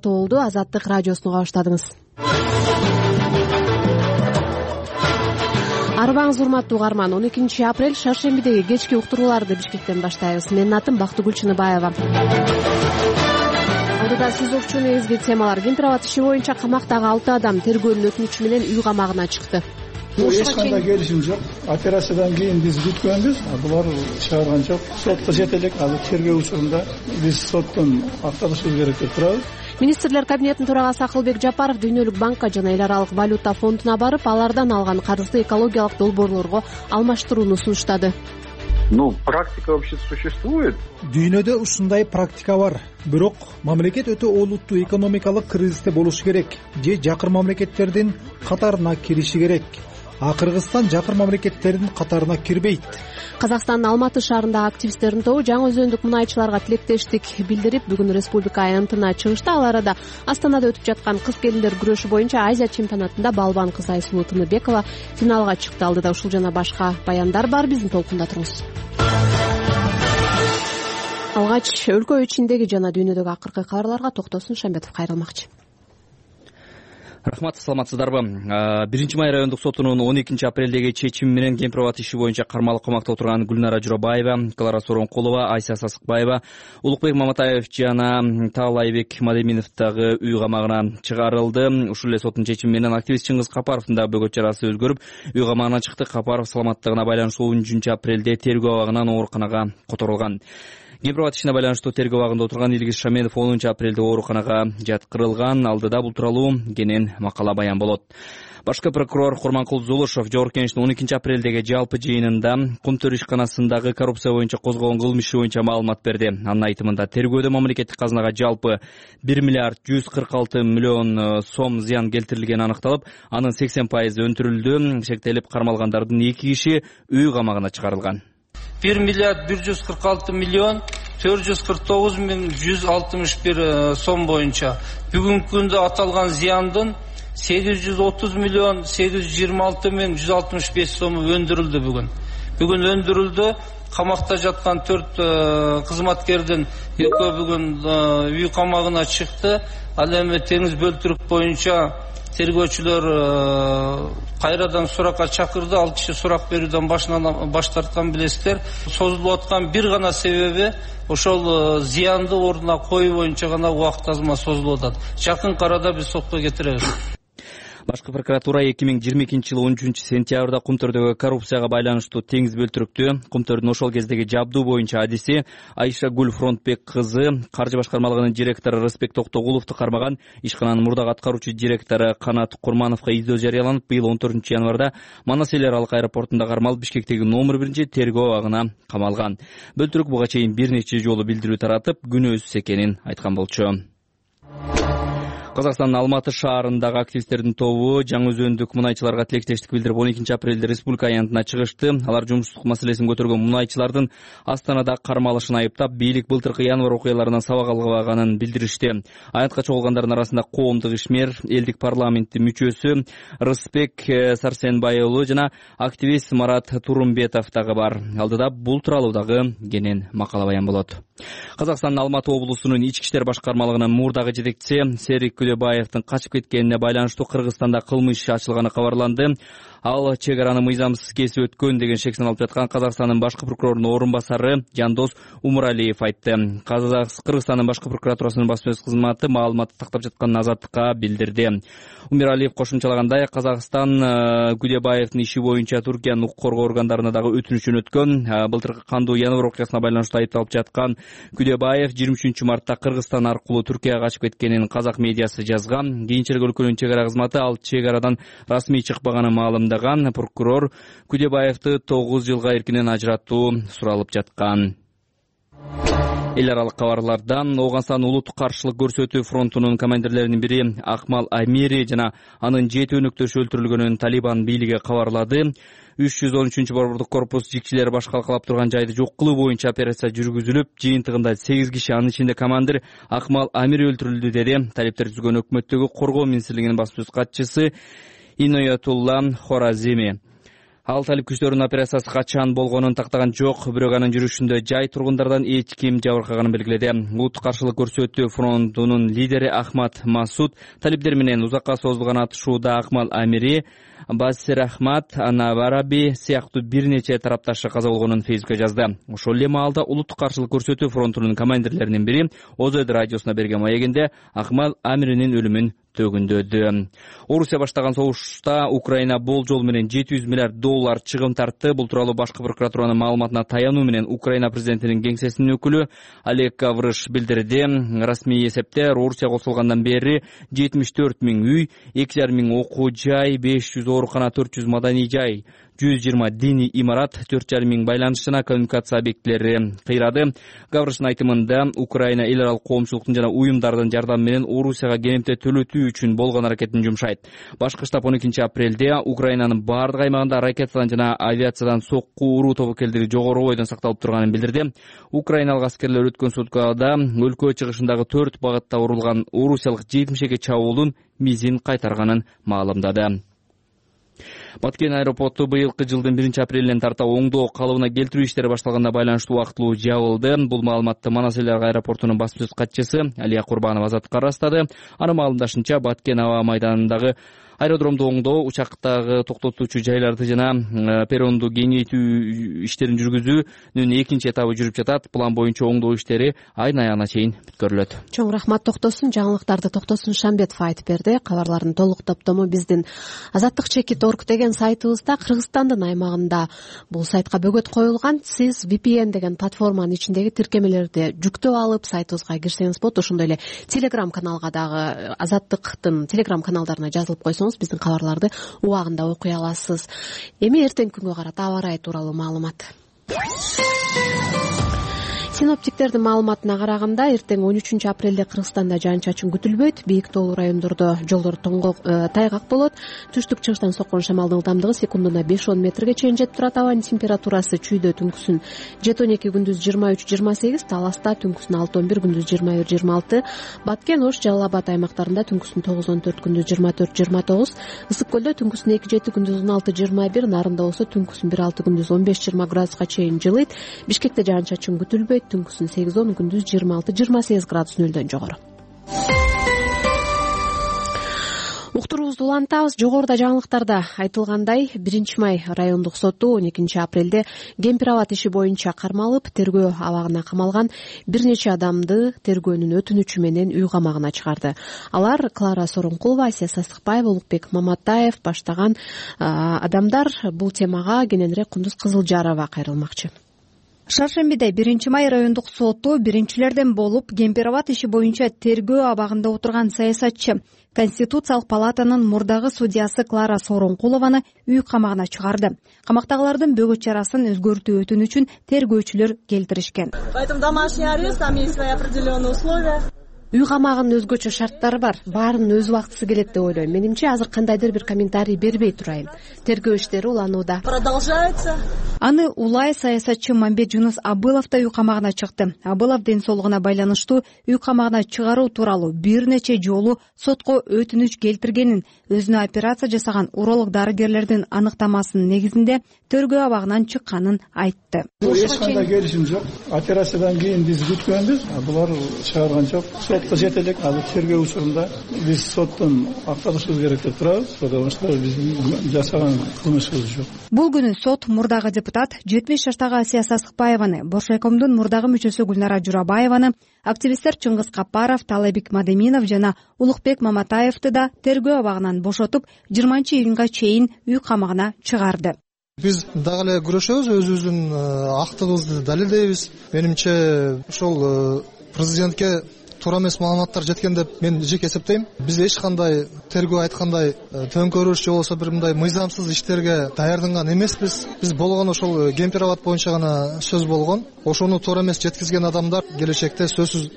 тоболду. Азаттык радиосуна уга баштадыңыз. Арбаңыз урматтуу угарман. 12 апрель шаршембидеги кечки уктурууларды Бишкектен баштайбыз. Менин атым Бактыгүл Чыныбаева. Алдыда сизокчу негизги темалар. Кемпирабад иши боюнча камактагы 6 адам тергөөнүн өтүнүчү менен үй камагына чыкты. Эч кандай келишим жок. Операциядан кийин биз бүткөнбүз, булар чыгарган жок. Сотко жете элек. Ал тергөө учурунда биз соттон акталышыбыз керек деп турабыз. Министрлер кабинетинин төрагасы Акылбек Жапаров Дүйнөлүк банкка жана Эл аралык валюта фондуна барып, алардан алган карызды экологиялык долбоорлорго алмаштырууну сунуштады. Практика вообще существует. Дүйнөдө ушундай практика бар. Бирок мамлекет өтө олуттуу экономикалык кризисте болушу керек же жакыр мамлекеттердин катарына кириши керек. А Кыргызстан жакыр мамлекеттердин катарына кирбейт. Казакстандын Алматы шаарындагы активисттердин тобу жаңы өзөндүк мунайчыларга тилектештик билдирип, бүгүн республика аянтына чыгышты. Ал арада Астанада өтүп жаткан кыз-келиндер күрөшү боюнча Азия чемпионатында балбан кыз Айсулуу Тыныбекова финалга чыкты. Алдыда ушул жана башка баяндар бар. Биздин толкунда туруңуз. Алгач өлкө ичиндеги жана дүйнөдөгү акыркы кабарларга Токтосун Шамбетов кайрылмакчы. Рахмат, саламатсыздарбы? 1-май райондук сотунун 12 апрелдеги чечими менен Кемпирабад иши боюнча кармалык камакта отурган Гүлнара Журабаева, Клара Сооронкулова, Айса Сасыкбаева, Улукбек Маматаев жана Таалайбек Мадеминов дагы үй камагына чыгарылды. Ушул эле соттун чечими менен активист Чыңгыз Капаровдун да бөгөт жарасы өзгөрүп, үй камагына чыкты. Капаров саламаттыгына байланыштуу 10 апрелде тергөө абагынан ооруканага которулган. Кемпирабад ишине байланыштуу тергөө абагында отурган Илгиз Шаменов 10 апрелде ооруканага жаткырылган. Алдыда бул тууралуу кенен макала баян болот. Башкы прокурор Курманкул Зулушев Жогорку Кеңештин 12 апрелдеги жалпы жыйынында Кумтөр ишканасындагы коррупция боюнча козголгон кылмыш иши боюнча маалымат берди. Анын айтымында тергөөдө мамлекеттик казынага жалпы 1 миллиард 146 миллион сом зыян келтирилгени аныкталып, анын 80% өндүрүлдү. Шектелип кармалгандардын 2 киши үй камагына чыгарылган. 1 миллиард 146 миллион 449 миң 161 сом боюнча бүгүнкү күндө аталган зыяндын 830 миллион 826 миң 165 сому өндүрүлдү. Бүгүн өндүрүлдү. Камакта жаткан 4 кызматкердин экөө бүгүн үй камагына чыкты. Ал эми теңиз бөлтүрүк боюнча тергөөчүлөр кайрадан суракка чакырды. 6 киши сурак берүүдөн баш тарткан билесиздер. Созулуп аткан бир гана себеби ошол зыянды ордуна коюу боюнча гана убакыт азма созулуп атат. Жакын арада биз сотко кетиребиз. Башкы прокуратура 2022-жылы 13-сентябрда Кумтөрдөгү коррупцияга байланыштуу теңиз бөлтүрүктү Кумтөрдүн ошол кездеги жабдуу боюнча адиси Айша Гүл Фронтбек кызы, каржы башкармалыгынын директору Рыспек Токтогуловду кармаган ишкананын мурдагы аткаруучу директору Канат Курмановго издөө жарыяланып, быйыл 14-январда Манас эл аралык аэропортунда кармалып, Бишкектеги номер 1 тергөө абагына камалган. Бөлтүрүк буга чейин бир нече жолу билдирүү таратып, күнөөсүз экенин айткан болчу. Казакстандын Алматы шаарындагы активисттердин тобу жаңы өзөндүк мунайчыларга тилектештик билдирип 12 апрелде республика аянтына чыгышты. Алар жумуштук маселесин көтөргөн мунайчылардын Астанада кармалышын айыптап, бийлик былтыркы январь окуяларынан сабак албаганын билдиришти. Аянтка чогулгандардын арасында коомдук ишмер, элдик парламенттин мүчөсү Рыспек Сарсенбай уулу жана активист Марат Турумбетов дагы бар. Алдыда бул тууралуу дагы кенен макала баян болот. Казакстандын Алматы облусунун ички иштер башкармалыгынын мурдагы жетекчиси Серик Күлөбаевдин качып кеткенине байланыштуу Кыргызстанда кылмыш иши ачылганы кабарланды. Ал чек араны мыйзамсыз кесип өткөн деген шек саналып жаткан Казакстандын башкы прокурорунун орун басары Жандос Умуралиев айтты. Кыргызстандын башкы прокуратурасынын баспасөз кызматы маалыматты тактап жатканын Азаттыкка билдирди. Умуралиев кошумчалагандай, Казакстан Күлөбаевдин иши боюнча Түркиянын укук коргоо органдарына дагы өтүнүч жөнөткөн. Былтыркы кандуу январь окуясына байланыштуу айыпталып жаткан Күлөбаев 23-мартта Кыргызстан аркылуу Түркияга качып кеткенин казак медиасы жазган. Кийинчерээк өлкөнүн чек ара кызматы ал чек арадан расмий чыкпаганын маалымдаган. Прокурор Күлөбаевди 9 жылга эркинен ажыратуу суралып жаткан. Эл аралык кабарлардан Ооганстан улуттук каршылык көрсөтүү фронтунун командирлеринин бири Акмал Амири жана анын 7 өнөктөшү өлтүрүлгөнүн Талибан бийлиги кабарлады. 313-борбордук корпус жикчилери баш калкалап турган жайды жок кылуу боюнча операция жүргүзүлүп, жыйынтыгында 8 киши, анын ичинде командир Акмал Амири өлтүрүлдү, деди талиптер түзгөн өкмөттөгү коргоо министрлигинин баспасөз катчысы Иноятулла Хоразими. Ал талип күчтөрүнүн операциясы качан болгонун тактаган жок, бирок анын жүрүшүндө жай тургундардан эч ким жабыркаганын белгиледи. УТ каршылык көрсөтүү фронтунун лидери Ахмад Масуд талиптер менен узакка созулган атышууда Акмал Амири, Басир Ахмад, Ана Вараби сыяктуу бир нече тарапташы каза болгонун Фейсбукка жазды. Ошол эле маалда улуттук каршылык көрсөтүү фронтунун командирлеринин бири ОЗ радиосуна берген маегинде Акмал Амиринин өлүмүн төгүндөдү. Орусия баштаган согушта Украина болжол менен $700 миллиард чыгым тартты. Бул тууралуу башкы прокуратуранын маалыматына таянуу менен Украина президентинин кеңсесинин өкүлү Олег Гаврыш билдирди. Расмий эсепте Орусия кошулгандан бери 74 000 үй, 2,5 000 окуу жай, 500 оорукана, 400 маданий жай, 120 диний имарат, 4,5 000 байланыш жана коммуникация объектилери кыйрады. Гаврыштын айтымында Украина эл аралык коомчулуктун жана уюмдардын жардамы менен Орусияга кенемте төлөтүү үчүн болгон аракетин жумшайт. Башкы штаб 12 апрелде Украинанын бардык аймагында ракетадан жана авиациядан сокку уруу тобокелдиги жогору бойдон сакталып турганын билдирди. Украиналык аскерлер өткөн суткада өлкө чыгышындагы 4 багытта урулган орусиялык 70 чабуулдун мизин кайтарганын маалымдады. Баткен аэропорту быйылкы жылдын 1 апрелинен тарта оңдоо калыбына келтирүү иштери башталганына байланыштуу убактылуу жабылды. Бул маалыматты Манас эл аралык аэропортунун басма сөз катчысы Алия Курбанова азаттыкка ырастады. Анын маалымдашынча Баткен аба майданындагы аэродромду оңдоо, учактагы токтотуучу жайларды жана перронду кеңейтүү иштерин жүргүзүүнүн экинчи этабы жүрүп жатат. План боюнча оңдоо иштери айдын аягына чейин бүткөрүлөт. Чоң рахмат Токтосун. Жаңылыктарды Токтосун Шамбетов айтып берди. Кабарлардын толук топтому биздин azattik.org деген сайтыбызда, Кыргызстандын аймагында бул сайтка бөгөт коюлган. Сиз VPN деген платформанын ичиндеги тиркемелерди жүктөп алып сайтыбызга кирсеңиз болот. Ошондой эле Telegram каналга дагы Азаттыктын Telegram каналдарына жазылып койсоңуз биздин кабарларды убагында окуй аласыз. Эми эртеңки күнгө карата аба ырайы тууралуу маалымат. Синоптиктердин маалыматына караганда эртең 13 апрелде Кыргызстанда жаан-чачын күтүлбөйт. Бийик тоолуу райондордо жолдор тайгак болот. Түштүк-чыгыштан соккон шамалдын ылдамдыгы секундуна 5-10 метрге чейин жетип турат. Абанын температурасы чүйдө түнкүсүн 7-12, күндүз 23-28, Таласта түнкүсүн 6-11, күндүз 21-26, Баткен, Ош, Жалал Абад аймактарында түнкүсүн 9-14, күндүз 24-29, Ысык көлдө түнкүсүн 2-7, күндүз 16-21, Нарында болсо түнкүсүн 1-6, күндүз 15-20 градуска чейин жылыйт. Бишкекте жаан-чачын күтүлбөйт. Түнкүсүн 8-10, күндүз 26-28 градус нөлдөн жогору. Уктуруубузду улантабыз. Жогоруда жаңылыктарда айтылгандай, 1 май райондук соту 12 апрелде Кемпир-Абад иши боюнча кармалып, тергөө абагына камалган бир нече адамды тергөөнүн өтүнүчү менен үй камагына чыгарды. Алар Клара Сооронкулова, Асия Састыкбаева, Улукбек Маматаев баштаган адамдар. Бул темага кененирээк Кундуз Кызылжарова кайрылмакчы. Шаршембиде 1 май райондук соту биринчилерден болуп Кемпир-Абад иши боюнча тергөө абагында отурган саясатчы, Конституциялык палатанын мурдагы судьясы Клара Сооронкулованы үй камагына чыгарды. Камактагылардын бөгөт чарасын өзгөртүү өтүнүчүн тергөөчүлөр келтиришкен. Поэтому домашний арест, там есть свои определенные условия. Үй камагынын өзгөчө шарттары бар. Баарынын өз убактысы келет деп ойлойм. Менимче азыр кандайдыр бир комментарий бербей турайын. Тергөө иштери уланууда. Продолжается. Аны улай саясатчы Мамбет Жунус Абылов да үй камагына чыкты. Абылов ден соолугуна байланыштуу үй камагына чыгаруу тууралуу бир нече жолу сотко өтүнүч келтиргенин, өзүнө операция жасаган уролог дарыгерлердин аныктамасынын негизинде тергөө абагынан чыкканын айтты. Эч кандай келишим жок. Операциядан кийин биз күткөнбүз, булар чыгарган жок. Сотко жетелик. Ал тергөө учурунда биз соттон акталышыбыз керек деп турабыз. Потому что биздин жасаган кылмышыбыз жок. Бул күнү сот мурдагы депутат 70 жаштагы Асия Састыкбаеваны, Бошайкомдун мурдагы мүчөсү Гүлнара Журабаеваны, активисттер Чыңгыз Капаров, Талайбек Мадеминов жана Улукбек Маматаевди да тергөө абагынан бошотуп 20-июнга чейин үй камагына чыгарды. Биз дагы эле күрөшөбүз, өзүбүздүн актыбызды далилдейбиз. Менимче ошол президентке туура эмес маалыматтар жеткен деп мен жеке эсептейм. Биз эч кандай тергөө айткандай төңкөрүш же болбосо бир мындай мыйзамсыз иштерге даярданган эмеспиз. Биз болгон ошол Кемпир-Абад боюнча гана сөз болгон. Ошону туура эмес жеткизген адамдар келечекте сөзсүз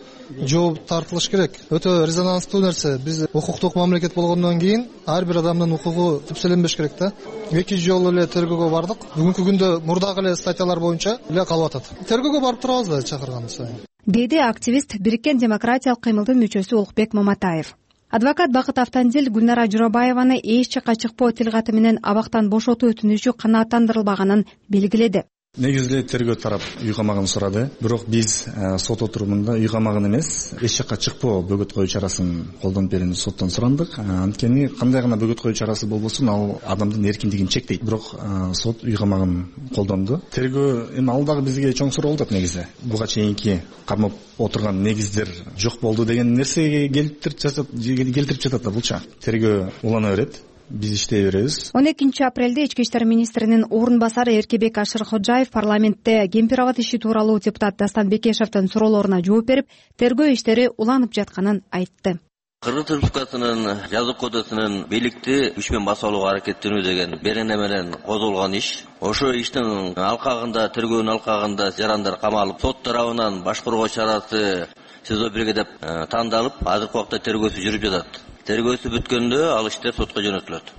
жооп тартылыш керек. Өтө резонанстуу нерсе. Биз укуктук мамлекет болгондон кийин ар бир адамдын укугу түпселенбеш керек да. 2 жолу эле тергөөгө бардык. Бүгүнкү күндө мурдагы эле статьялар боюнча эле калып атат. Тергөөгө барып турабыз да чакырган сайын. Деди активист Бириккен демократиялык кыймылдын мүчөсү Улукбек Маматаев. Адвокат Бакыт Автандил Гүлнара Журабаеваны эч жакка чыкпоо тилкаты менен абактан бошотуу өтүнүчү канааттандырылбаганын белгиледи. Негизи тергөө тарап үй камагын сурады, бирок биз сот отурумунда үй камагын эмес, эч жакка чыкпоо бөгөт коюу чарасын колдонуп берүүнү соттон сурандык. Анткени кандай гана бөгөт коюу чарасы болбосун, ал адамдын эркиндигин чектейт. Бирок сот үй камагын колдонду. Тергөө эми ал дагы бизге чоң суроо болот негизи. Буга чейинки кармап отурган негиздер жок болду деген нерсеге келтирип жатат да булча. Тергөө улана берет. Биз иштей беребиз. 12 апрелде Ички иштер министринин орун басары Эркебек Ашыркожаев парламентте Кемпир-Абад иши тууралуу депутат Дастан Бекешевдин суроолоруна жооп берип, тергөө иштери уланып жатканын айтты. Кыргыз Республикасынын жазык кодексинин бийликти күч менен басып алууга аракеттенүү деген берене менен козголгон иш. Ошо иштин алкагында, тергөөнүн алкагында жарандар камалып, сот тарабынан башкаруу чарасы СИЗО 1 деп тандалып, азыркы убакта тергөөсү жүрүп жатат. Тергөөсү бүткөндө ал иштер сотко жөнөтүлөт.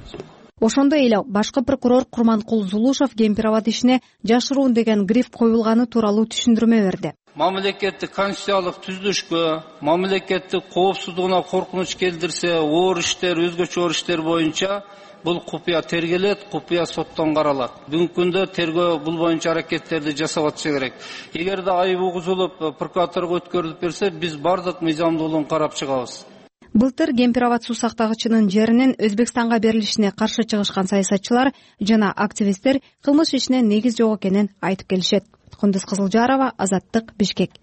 Ошондой эле башкы прокурор Курманкул Зулушев Кемпир-Абад ишине жашыруун деген гриф коюлганы тууралуу түшүндүрмө берди. Мамлекеттик конституциялык түзүлүшкө, мамлекеттик коопсуздугуна коркунуч келтирсе, оор иштер, өзгөчө оор иштер боюнча бул купуя тергелет, купуя соттон каралат. Бүгүнкү күндө тергөө бул боюнча аракеттерди жасап атышы керек. Эгерде айып угузулуп, прокуратурага өткөрүлүп берсе, биз бардык мыйзамдуулугун карап чыгабыз. Былтыр Кемпир-Абад суу сактагычынын жеринин Өзбекстанга берилишине каршы чыгышкан саясатчылар жана активисттер кылмыш ишине негиз жок экенин айтып келишет. Кундуз Кызылжарова, Азаттык, Бишкек.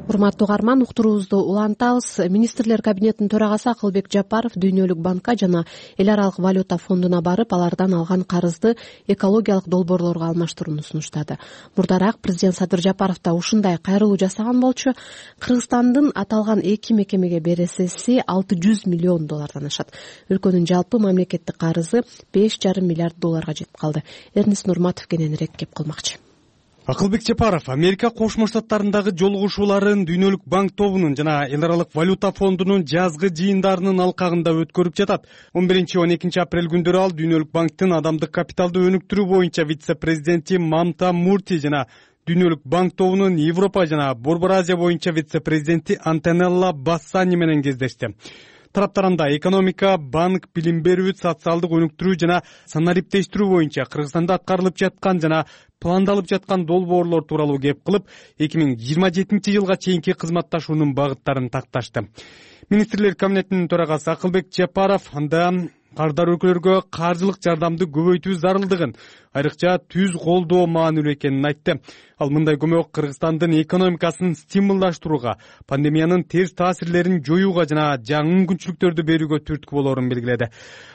Урматтуу угарман, уктуруубузду улантабыз. Министрлер кабинетинин төрагасы Акылбек Жапаров Дүйнөлүк банкка жана Эл аралык валюта фондуна барып, алардан алган карызды экологиялык долбоорлорго алмаштырууну сунуштады. Мурдараак президент Садыр Жапаров да ушундай кайрылуу жасаган болчу. Кыргызстандын аталган эки мекемеге бересеси $600 миллион ашат. Өлкөнүн жалпы мамлекеттик карызы $5,5 миллиард жетип калды. Эрнис Нурматов кененирээк кеп калмакчы. Акылбек Жапаров Америка Кошмо Штаттарындагы жолугушууларын Дүйнөлүк банк тобунун жана Эл аралык валюта фондунун жазгы жыйындарынын алкагында өткөрүп жатат. 11-12 апрель күндөрү ал Дүйнөлүк банктын адамдык капиталды өнүктүрүү боюнча вице-президенти Мамта Мурти жана Дүйнөлүк банк тобунун Европа жана Борбор Азия боюнча вице-президенти Антонелла Бассани менен кездешти. Тараптарында экономика, банк, билим берүү, социалдык өнүктүрүү жана санариптештирүү боюнча Кыргызстанда аткарылып жаткан жана пландалып жаткан долбоорлор тууралуу кеп кылып, 2027-жылга чейинки кызматташуунун багыттарын такташты. Министрлер кабинетинин төрагасы Акылбек Жапаров анда кардар өлкөлөргө каржылык жардамды көбөйтүү зарылдыгын, айрыкча түз колдоо маанилүү экенин айтты. Ал мындай көмөк Кыргызстандын экономикасын стимулдаштырууга, пандемиянын терс таасирлерин жоюуга жана жаңы мүмкүнчүлүктөрдү берүүгө түрткү болоорун белгиледи.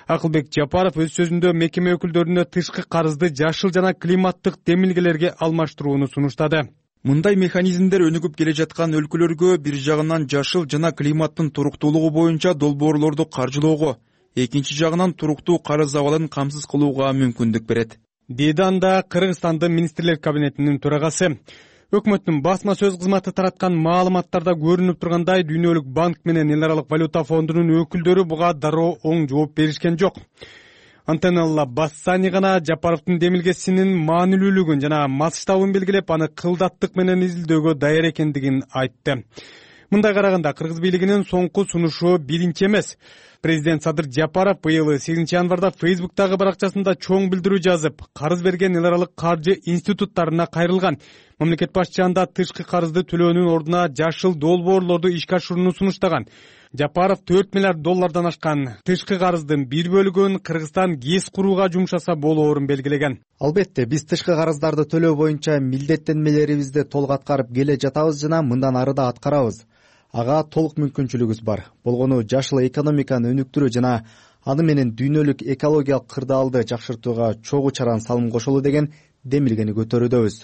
Акылбек Жапаров өз сөзүндө мекеме өкүлдөрүнө тышкы карызды жашыл жана климаттык демилгелерге алмаштырууну сунуштады. Мындай механизмдер өнүгүп келе жаткан өлкөлөргө бир жагынан жашыл жана климаттын туруктуулугу боюнча долбоорлорду каржылоого, экинчи жагынан туруктуу карыз абалын камсыз кылууга мүмкүндүк берет, деди анда Кыргызстандын министрлер кабинетинин төрагасы. Өкмөттүн басма сөз кызматы тараткан маалыматтарда көрүнүп тургандай, Дүйнөлүк банк менен Эл аралык валюта фондунун өкүлдөрү буга дароо оң жооп беришкен жок. Антонелла Бассани гана Жапаровдун демилгесинин маанилүүлүгүн жана масштабын белгилеп, аны кылдаттык менен изилдөөгө даяр экендигин айтты. Мындай караганда Кыргыз бийлигинин соңку сунушу биринчи эмес. Президент Садыр Жапаров быйыл 8 январда Фейсбуктагы баракчасында чоң билдирүү жазып, карыз берген эл аралык каржы институттарына кайрылган. Мамлекет башчысы анда тышкы карызды төлөөнүн ордуна жашыл долбоорлорду ишке ашырууну сунуштаган. Жапаров $4 миллиард ашкан тышкы карыздын бир бөлүгүн Кыргызстан ГЭС курууга жумшаса болоорун белгилеген. Албетте, биз тышкы карыздарды төлөө боюнча милдеттенмелерибизди толук аткарып келе жатабыз жана мындан ары да аткарабыз. Ага толук мүмкүнчүлүгүбүз бар. Болгону жашыл экономиканы өнүктүрүү жана аны менен дүйнөлүк экологиялык кырдаалды жакшыртууга чогуу чаран салым кошолу деген демилгени көтөрүүдөбүз.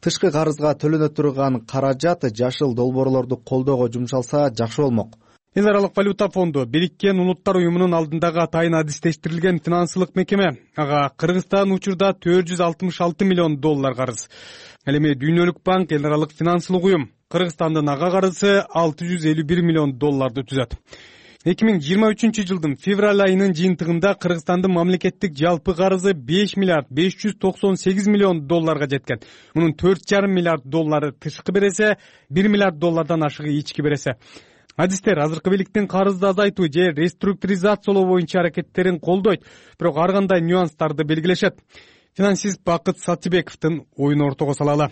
Тышкы карызга төлөнө турган каражат жашыл долбоорлорду колдоого жумшалса жакшы болмок. Эл аралык валюта фонду Бириккен Улуттар уюмунун алдындагы атайын адистештирилген финансылык мекеме. Ага Кыргызстан учурда $466 миллион карыз. Ал эми Дүйнөлүк банк эл аралык финансылык уюм. Кыргызстандын ага карызы $651 миллион түзөт. 2023 жылдын февраль айынын жыйынтыгында Кыргызстандын мамлекеттик жалпы карызы 5 миллиард 598 миллион долларга жеткен. Мунун 4,5 миллиард доллары тышкы бересе, 1 миллиард доллардан ашыгы ички бересе. Адистер азыркы бийликтин карызды азайтуу же реструктуризациялоо боюнча аракеттерин колдойт, бирок ар кандай нюанстарды белгилешет. Финансист Бакыт Сатыбековдун оюн ортого салалы.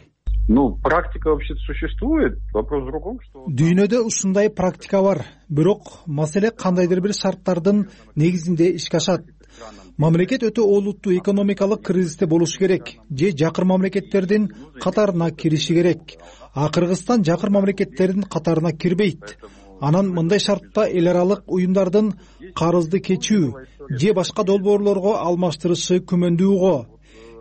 Практика вообще существует. Вопрос в другом, что... Дүйнөдө ушундай практика бар. Бирок маселе кандайдыр бир шарттардын негизинде ишке ашат. Мамлекет өтө олуттуу экономикалык кризисте болушу керек же жакыр мамлекеттердин катарына кириши керек. А Кыргызстан жакыр мамлекеттердин катарына кирбейт. Анан мындай шартта эл аралык уюмдардын карызды кечүү же башка долбоорлорго алмаштырышы күмөндүү го.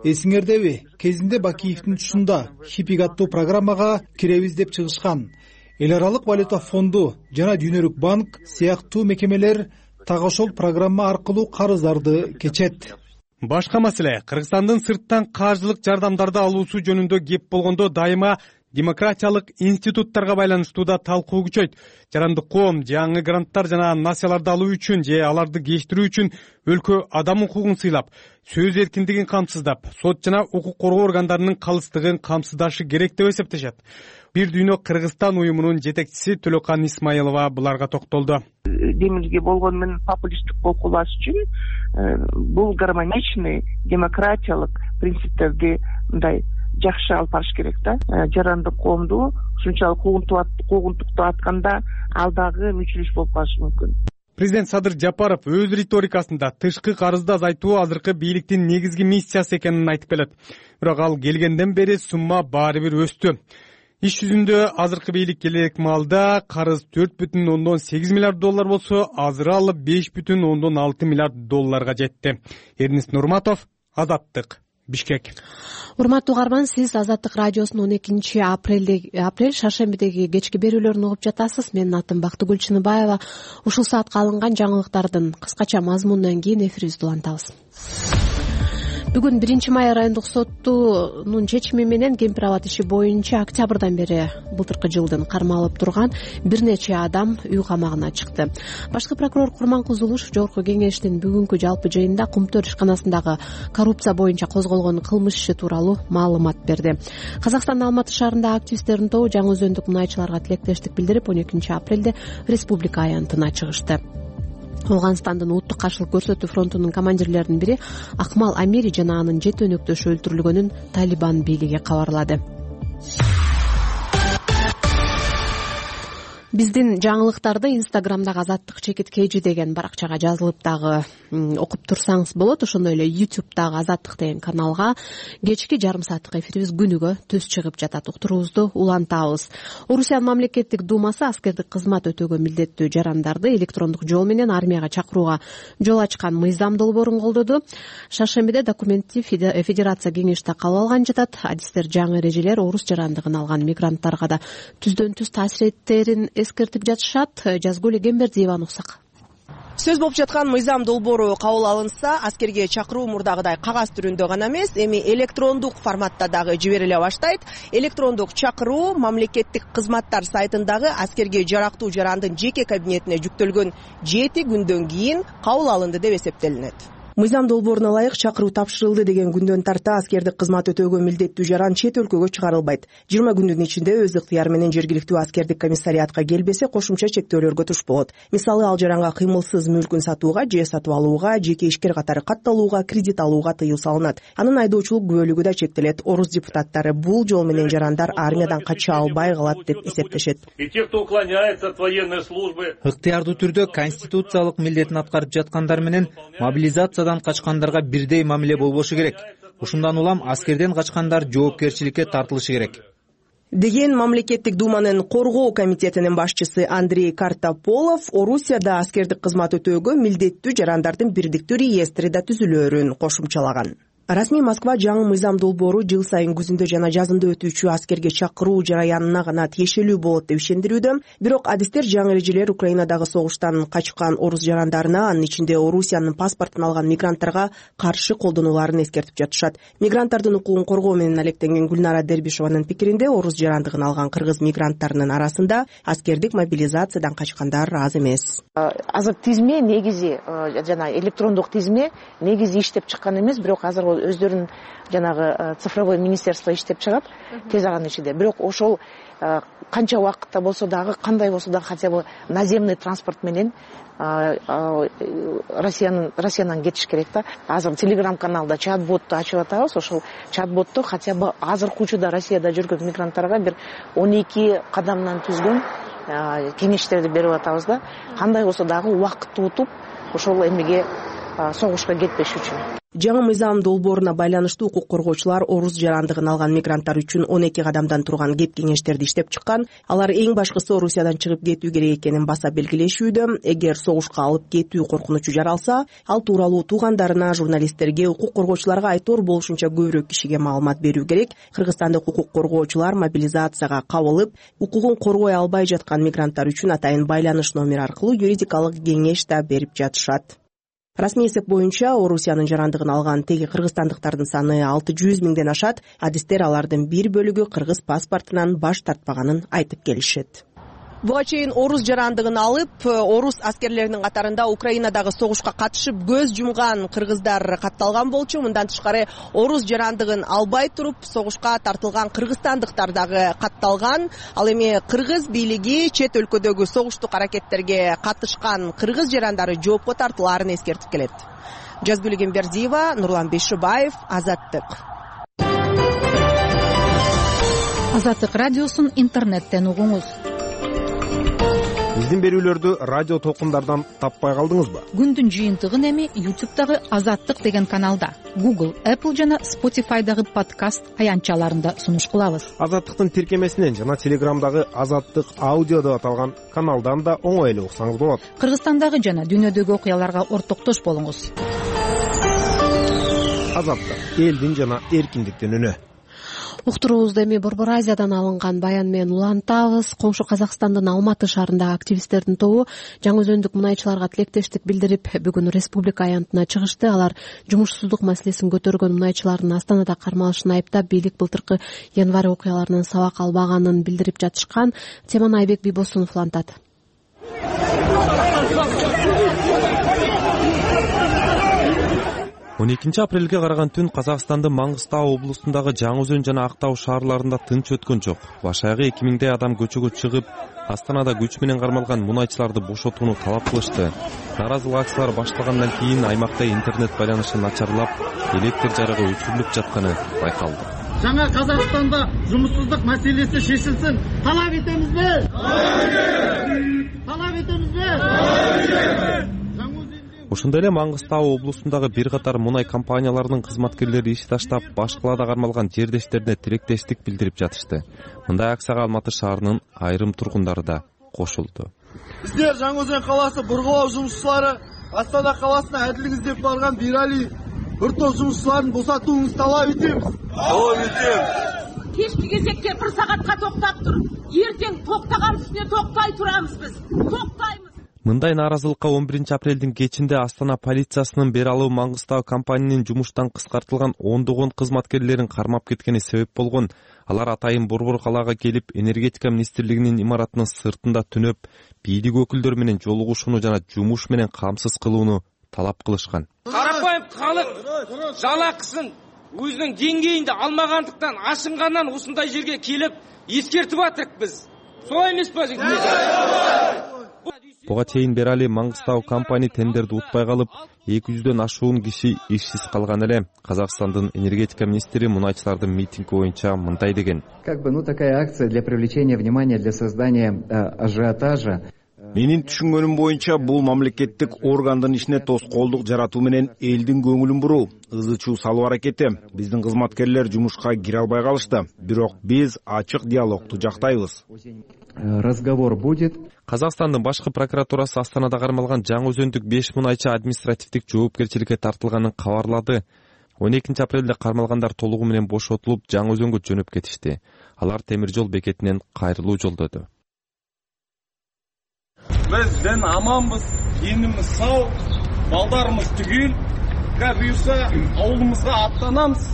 Эсиңердеби, кезинде Бакиевдин тушунда Хипик аттуу программага киребиз деп чыгышкан. Эл аралык валюта фонду жана Дүйнөлүк банк сыяктуу мекемелер так ошол программа аркылуу карыздарды кечет. Башка маселе, Кыргызстандын сырттан каржылык жардамдарды алуусу жөнүндө кеп болгондо дайыма демократиялык институттарга байланыштуу да талкуу күчөйт. Жарандык коом жаңы гранттар жана насияларды алуу үчүн же аларды кечтирүү үчүн өлкө адам укугун сыйлап, сөз эркиндигин камсыздап, сот жана укук коргоо органдарынын калыстыгын камсыздашы керек деп эсептешет. Бир дүйнө Кыргызстан уюмунун жетекчиси Төлөкан Исмаилова буларга токтолду. Демилге болгону менен популисттик болкулаш үчүн бул гармоничный демократиялык принциптерди мындай жакшы алып барыш керек да. Жарандык коомду ушунчалык куугунтуктап атканда ал дагы мүчүлүш болуп калышы мүмкүн. Президент Садыр Жапаров өз риторикасында тышкы карызды азайтуу азыркы бийликтин негизги миссиясы экенин айтып келет. Бирок ал келгенден бери сумма баары бир өстү. Иш жүзүндө азыркы бийлик келек маалда карыз 4,8 миллиард доллар болсо, азыр ал 5,6 миллиард долларга жетти. Эрнис Нурматов, Азаттык, Бишкек. Урматтуу угарман, сиз Азаттык радиосунун 12 апрель шаршембидеги кечки берүүлөрүн угуп жатасыз. Менин атым Бактыгүл Чыныбаева. Ушул саатка алынган жаңылыктардын кыскача мазмунунан кийин эфирибизди улантабыз. Бүгүн 1-май райондук соттунун чечими менен Кемпир Абад иши боюнча октябрдан бери былтыркы жылдын кармалып турган бир нече адам үй камагына чыкты. Башкы прокурор Курманкул Зулушев Жогорку Кеңештин бүгүнкү жалпы жыйынында Кумтөр ишканасындагы коррупция боюнча козголгон кылмыш иши тууралуу маалымат берди. Казакстандын Алматы шаарындагы активисттердин тобу жаңы өзөндүк мунайчыларга тилектештик билдирип, 12 апрелде республика аянтына чыгышты. Ооганстандын улуттук каршылык көрсөтүү фронтунун командирлеринин бири Акмал Амири жана анын 7 өнөктөшү өлтүрүлгөнүн Талибан бийлиги кабарлады. Биздин жаңылыктарды Инстаграмдагы Азаттык чекит KG деген баракчага жазылып дагы окуп турсаңыз болот. Ошондой эле YouTube'дагы Азаттык деген каналга кечки жарым сааттык эфирибиз күнүгө түз чыгып жатат. Уктуруубузду улантабыз. Орусиянын мамлекеттик думасы аскердик кызмат өтөөгө милдеттүү жарандарды электрондук жол менен армияга чакырууга жол ачкан мыйзам долбоорун колдоду. Шаршембиде документти Федерация кеңеште кабыл алган жатат. Адистер жаңы эрежелер орус жарандыгын алган мигранттарга да түздөн түз таасир этерин эскертип жатышат. Жазгүл Эгембердиеваны уксак. Сөз болуп жаткан мыйзам долбоору кабыл алынса, аскерге чакыруу мурдагыдай кагаз түрүндө гана эмес, эми электрондук форматта дагы жибериле баштайт. Электрондук чакыруу мамлекеттик кызматтар сайтындагы аскерге жарактуу жарандын жеке кабинетине жүктөлгөн 7 күндөн кийин кабыл алынды деп эсептелинет. Мыйзам долбооруна ылайык чакыруу тапшырылды деген күндөн тарта аскердик кызмат өтөөгө милдеттүү жаран чет өлкөгө чыгарылбайт. 20 күндүн ичинде өз ыктыяры менен жергиликтүү аскердик комиссариатка келбесе, кошумча чектөөлөргө туш болот. Мисалы, ал жаранга кыймылсыз мүлкүн сатууга же сатып алууга, жеке ишкер катары катталууга, кредит алууга тыюу салынат. Анын айдоочулук күбөлүгү да чектелет. Орус депутаттары бул жол менен жарандар армиядан кача албай калат деп эсептешет. Ыктыярдуу түрдө конституциялык милдетин аткарып жаткандар менен мобилизация качкандарга бирдей мамиле болбошу керек. Ушундан улам аскерден качкандар жоопкерчиликке тартылышы керек деген мамлекеттик думанын коргоо комитетинин башчысы Андрей Картополов Орусияда аскердик кызмат өтөөгө милдеттүү жарандардын бирдиктүү реестри да түзүлөөрүн кошумчалаган. Расмий Москва жаңы мыйзам долбоору жыл сайын күзүндө жана жазында өтүүчү аскерге чакыруу жараянына гана тиешелүү болот деп ишендирүүдө. Бирок адистер жаңы эрежелер Украинадагы согуштан качкан орус жарандарына, анын ичинде Орусиянын паспортун алган мигранттарга каршы колдонуларын эскертип жатышат. Мигранттардын укугун коргоо менен алектенген Гүлнара Дербишованын пикиринде, орус жарандыгын алган кыргыз мигранттарынын арасында аскердик мобилизациядан качкандар аз эмес. Азыр тизме негизи жана электрондук тизме негизи иштеп чыккан эмес, бирок азыр өздөрүнүн жанагы цифровой министерство иштеп чыгат тез аранын ичинде. Бирок ошол канча убакытта болсо дагы, кандай болсо дагы хотя бы наземный транспорт менен Россиянан кетиш керек да. Азыр телеграм-каналда чат-ботту ачып атабыз. Ошол чат-ботту хотя бы азыркы учурда Россияда жүргөн мигранттарга бир 12 кадамдан түзгөн кеңештерди берип атабыз да. Кандай болсо дагы убакытты утуп ошол эмеге согушка кетпеш үчүн. Жаңы мыйзам долбооруна байланыштуу укук коргоочулар орус жарандыгын алган мигранттар үчүн 12 кадамдан турган кеп кеңештерди иштеп чыккан. Алар эң башкысы Орусиядан чыгып кетүү керек экенин баса белгилешүүдө. Эгер согушка алып кетүү коркунучу жаралса, ал тууралуу туугандарына, журналисттерге, укук коргоочуларга айтор болушунча көбүрөөк кишиге маалымат берүү керек. Кыргызстандык укук коргоочулар мобилизацияга кабылып, укугун коргой албай жаткан мигранттар үчүн атайын байланыш номери аркылуу юридикалык кеңеш да берип жатышат. Расмий эсеп боюнча Орусиянын жарандыгын алган теги кыргызстандыктардын саны 600 миңден ашат. Адистер алардын бир бөлүгү кыргыз паспортунан баш тартпаганын айтып келишет. Буга чейин орус жарандыгын алып, орус аскерлеринин катарында Украинадагы согушка катышып көз жумган кыргыздар катталган болчу. Мындан тышкары орус жарандыгын албай туруп согушка тартылган кыргызстандыктар дагы катталган. Ал эми кыргыз бийлиги чет өлкөдөгү согуштук аракеттерге катышкан кыргыз жарандары жоопко тартылаарын эскертип келет. Жазгүл Гембердиева, Нурлан Бейшибаев, Азаттык. Азаттык радиосун интернеттен угуңуз. Биздин берүүлөрдү радио толкундардан таппай калдыңызбы? Күндүн жыйынтыгын эми YouTube'дагы Азаттык деген каналда, Google, Apple жана Spotify'дагы подкаст аянтчаларында сунуш кылабыз. Азаттыктын тиркемесинен жана Telegram'дагы Азаттык аудио деп аталган каналдан да оңой эле уксаңыз болот. Кыргызстандагы жана дүйнөдөгү окуяларга ортоктош болуңуз. Азаттык, элдин жана эркиндиктин үнү. Уктуруубузду эми Борбор Азиядан алынган баян менен улантабыз. Коңшу Казакстандын Алматы шаарындагы активисттердин тобу жаңы өзөндүк мунайчыларга тилектештик билдирип, бүгүн республика аянтына чыгышты. Алар жумушсуздук маселесин көтөргөн мунайчылардын Астанада кармалышын айыптап, бийлик былтыркы январь окуяларынан сабак албаганын билдирип жатышкан. Теманы Айбек Бийбосунов улантат. 12 апрелге караган түн Казакстандын Маңгыстау облусундагы Жаңы Өзөн жана Актау шаарларында тынч өткөн жок. Баш аягы 2000 адам көчөгө чыгып, Астанада күч менен кармалган мунайчыларды бошотууну талап кылышты. Наразылык акциялары башталгандан кийин аймакта интернет байланышы начарлап, электр жарыгы өчүрүлүп жатканы байкалды. Жаңа Казакстанда жумушсуздук маселеси шешилсин. Талап этемизби? Талап этемизби? Ошондой эле Маңгыстау облусундагы бир катар мунай компанияларынын кызматкерлери иш таштап, баш калаада кармалган жердештерине тилектештик билдирип жатышты. Мындай акцияга Алматы шаарынын айрым тургундары да кошулду. Биздер Жаңы Өзөн калаасы бургулоо жумушчулары Астана калаасына адилдик издеп барган Бирали бир топ жумушчуларын босотууңузду талап этебиз. Талап этебиз. Кечки кезекте 1 саатка токтоп туруп, эртең токтоган үстүнө токтой турабыз биз. Токтойбуз. Мындай нааразылыкка 11 апрелдин кечинде Астана полициясынын Бералуу Маңгыстау компаниянын жумуштан кыскартылган ондогон кызматкерлерин кармап кеткени себеп болгон. Алар атайын Борбор калаага келип, энергетика министрлигинин имаратынын сыртында түнөп, бийлик өкүлдөрү менен жолугушууну жана жумуш менен камсыз кылууну талап кылышкан. Карапайым калык жалакысын өзүнүн деңгейинде алмагандыктан, ашынгандан ушундай жерге келип эскертип атырык биз. Солай эмеспи? Буга чейин Берали Маңгыстау компания тендерди утпай калып, 200дөн ашуун киши ишсиз калган эле. Казакстандын энергетика министри мунайчылардын митинги боюнча мындай деген. Такая акция для привлечения внимания, для создания ажиотажа. Менин түшүнгөнүм боюнча бул мамлекеттик органдын ишине тоскоолдук жаратуу менен элдин көңүлүн буруу, ызы-чуу салуу аракети. Биздин кызматкерлер жумушка кире албай калышты. Бирок биз ачык диалогду жактайбыз. Разговор будет. Казакстандын башкы прокуратурасы Астанада кармалган Жаңы Өзөндүк 5 мунайчы административдик жоопкерчиликке тартылганын кабарлады. 12 апрелде кармалгандар толугу менен бошотулуп Жаңы Өзөнгө жөнөп кетишти. Алар темир жол бекетинен кайрылуу жолдоду. Биз ден аманбыз, денimiz сау, балдарымыз түгел. Буюрса ауылымызга аттанамыз.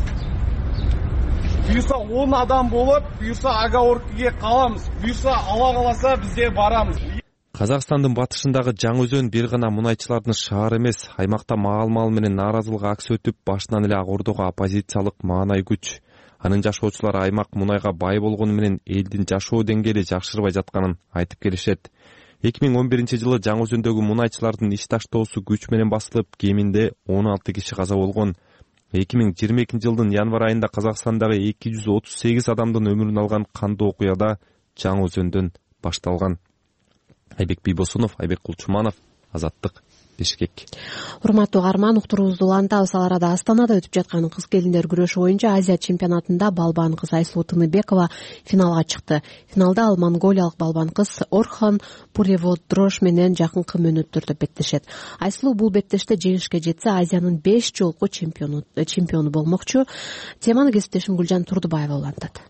Буюрса 10 адам болуп, буюрса Агаоркиге калабыз. Буюрса Алла кааласа бизде барабыз. Казакстандын батышындагы Жаңы Өзөн бир гана мунайчылардын шаары эмес, аймакта маал-маал менен нааразылык аксы өтүп, башынан эле ак ордого оппозициялык маанай күч. Анын жашоочулары аймак мунайга бай болгону менен элдин жашоо деңгээли жакшырбай жатканын айтып келишет. 2011-жылы Жаңы Өзөндөгү мунайчылардын иш таштоосу күч менен басылып, кеминде 16 киши каза болгон. 2022-жылдын январь айында Казакстандагы 238 адамдын өмүрүн алган кандуу окуяда Жаңы Өзөндөн башталган. Айбек Бийбосунов, Айбек Кулчуманов, Азаттык, Бишкек. Урматтуу угарман, уктуруубузду улантабыз. Ал арада Астанада өтүп жаткан кыз келиндер күрөшү боюнча Азия чемпионатында балбан кыз Айсулуу Тыныбекова финалга чыкты. Финалда ал монголиялык балбан кыз Орхон Пуреводрош менен жакынкы мөөнөттөрдө беттешет. Айсулуу бул беттеште жеңишке жетсе, Азиянын 5 жолку чемпиону болмокчу. Теманы кесиптешим Гүлжан Турдубаева улантат.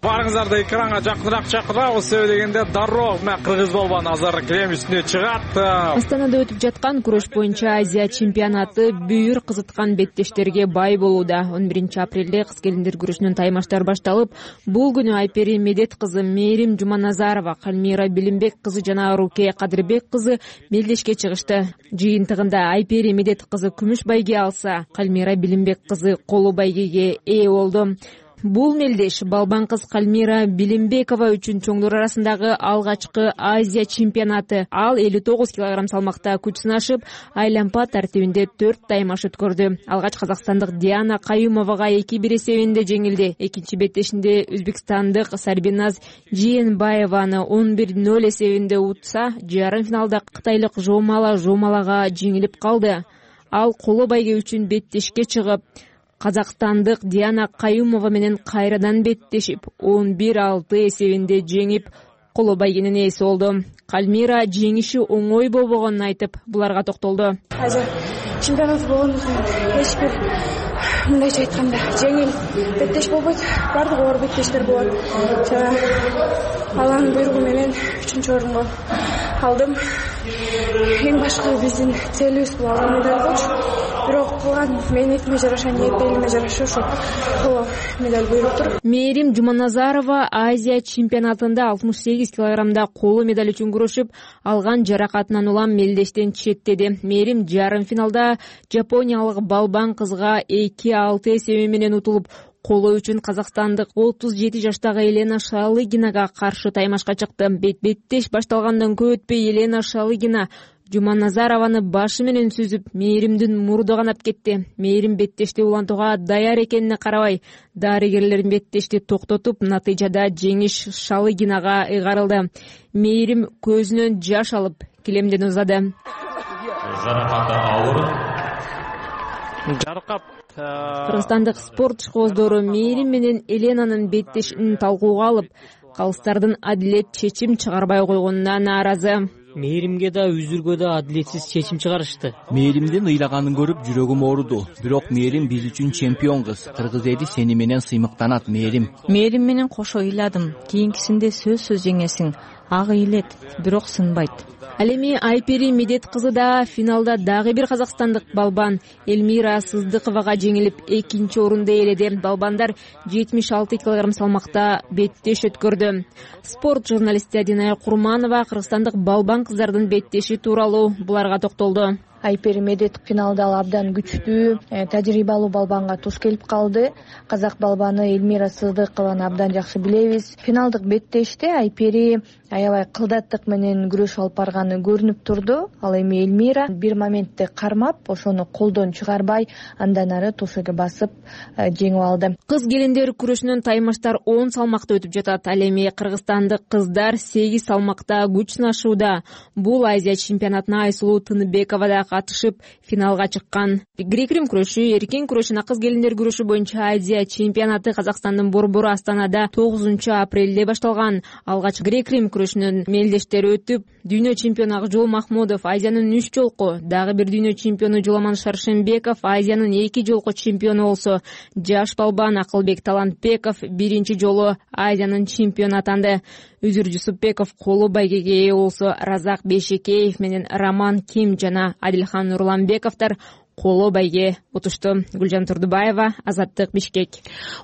Барыңыздарды экранга жакыныраак чакырабыз. Себеби дегенде дароо кыргыз балбан азыр килем үстүнө чыгат. Астанада өтүп жаткан күрөш боюнча Азия чемпионаты бүйүр кызыткан беттештерге бай болууда. 11 апрелде кыз келиндер күрөшүнүн таймаштары башталып, бул күнү Айпери Медет кызы Мээрим Жуманазарова, Кальмира Билимбек кызы жана Руке Кадырбек кызы мелдешке чыгышты. Жыйынтыгында Айпери Медет кызы күмүш байге алса, Кальмира Билимбек кызы колу байгеге ээ болду. Бул мелдеш балбан кыз Кальмира Билимбекова үчүн чоңдор арасындагы алгачкы Азия чемпионаты. Ал 59 кг салмакта күч сынашып, айлампа тартибинде 4 таймаш өткөрдү. Алгач казакстандык Диана Каюмовага 2-1 эсебинде жеңилди. Экинчи беттешинде өзбекстандык Сарбиназ Жиенбаеваны 11-0 эсебинде утса, жарым финалда кытайлык Жомалага жеңилип калды. Ал коло байге үчүн беттешке чыгып, казакстандык Диана Каюмова менен кайрадан беттешип 11-6 эсебинде жеңип, коло байгенин ээси болду. Кальмира жеңиши оңой болбогонун айтып, буларга токтолду. Азия чемпионаты болгондуктан эч бир мындайча айтканда жеңил беттеш болбойт. Бардыгы оор беттештер болот. Алланын буйругу менен 3-орунду алдым. Эң башкы биздин целибиз бул алтын медаль болчу. Бирок кылган мээнетиме жараша, ниеттериме жараша ошо коло медаль буйруптур. Мээрим Жуманазарова Азия чемпионатында 68 килограммда коло медаль үчүн күрөшүп, алган жаракатынан улам мелдештен четтеди. Мээрим жарым финалда жапониялык балбан кызга 2-6 эсеби менен утулуп, коло үчүн казакстандык 37 жаштагы Елена Шалыгинага каршы таймашка чыкты. Беттеш башталгандан көп өтпөй Елена Шалыгина Жуманазарованы башы менен сүзүп, Мээримдин мурду канап кетти. Мээрим беттешти улантууга даяр экенине карабай, дарыгерлердин беттешти токтотуп, натыйжада жеңиш Шалыгинага ыйгарылды. Мээрим көзүнөн жаш алып, килемден узады. Жаракаты ауыр. Кыргызстандык спорт ишкоздору Мээрим менен Еленанын беттешин талкууга алып, калыстардын адилет чечим чыгарбай койгонуна нааразы. Мээримге да үзүргө да адилетсиз чечим чыгарышты. Мээримдин ыйлаганын көрүп жүрөгүм ооруду. Бирок Мээрим биз үчүн чемпион кыз. Кыргыз эли сени менен сыймыктанат, Мээрим. Мээрим менен кошо ыйладым. Кийинкисинде сөзсүз жеңесиң. Ак ыйлет, бирок сынбайт. Ал эми Айпери Медет кызы да финалда дагы бир казакстандык балбан Элмира Сыздыковага жеңилип, экинчи орунду ээледи. Балбандар 76 кг салмакта беттеш өткөрдү. Спорт журналисти Адинай Курманова кыргызстандык балбан кыздардын беттеши тууралуу буларга токтолду. Айпери Медет финалда абдан күчтүү, тажрыйбалуу балбанга туз келип калды. Казак балбаны Элмира Сыздыкованы абдан жакшы билебиз. Финалдык беттеште Айпери аябай кылдаттык менен күрөш алып барганы көрүнүп турду. Ал эми Элмира бир моментте кармап, ошону колдон чыгарбай, андан ары тушеге басып жеңип алды. Кыз келиндер күрөшүнүн таймаштар 10 салмакта өтүп жатат. Ал эми кыргызстандык кыздар 8 салмакта күч сынашууда. Бул Азия чемпионатына Айсулуу Тыныбекова да катышып финалга чыккан. Грек-рим күрөшү, эркин күрөш жана кыз келиндер күрөшү боюнча Азия чемпионаты Казакстандын борбору Астанада 9-апрелде башталган. Алгач грек-рим күрөшүнүн мелдештери өтүп, дүйнө чемпиону Акжол Махмудов Азиянын 3 жолку, дагы бир дүйнө чемпиону Жуламан Шаршенбеков Азиянын 2 жолку чемпиону болсо, жаш балбан Акылбек Талантбеков биринчи жолу Азиянын чемпиону атанды. Үзүр Жусупбеков коло байгеге ээ болсо, Разак Бейшекеев менен Роман Ким жана Адилхан Нурланбековдор коло байге утушту. Гүлжан Турдубаева, Азаттык, Бишкек.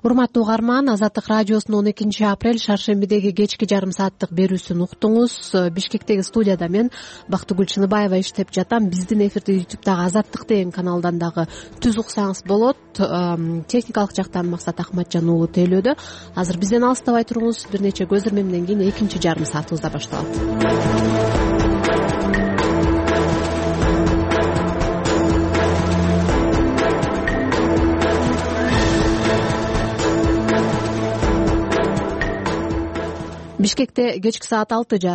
Урматтуу угарман, Азаттык радиосунун 12-апрель шаршембидеги кечки жарым сааттык берүүсүн уктуңуз. Бишкектеги студияда мен Бактыгүл Чыныбаева иштеп жатам. Биздин эфирди YouTube'дагы Азаттык деген каналдан дагы түз уксаңыз болот. Техникалык жактан Максат Ахматжан уулу тейлөөдө. Азыр бизден алыстабай туруңуз. Бир нече көз ирмемден кийин экинчи жарым саатыбызда башталат. Бишкекте кечки саат 6:30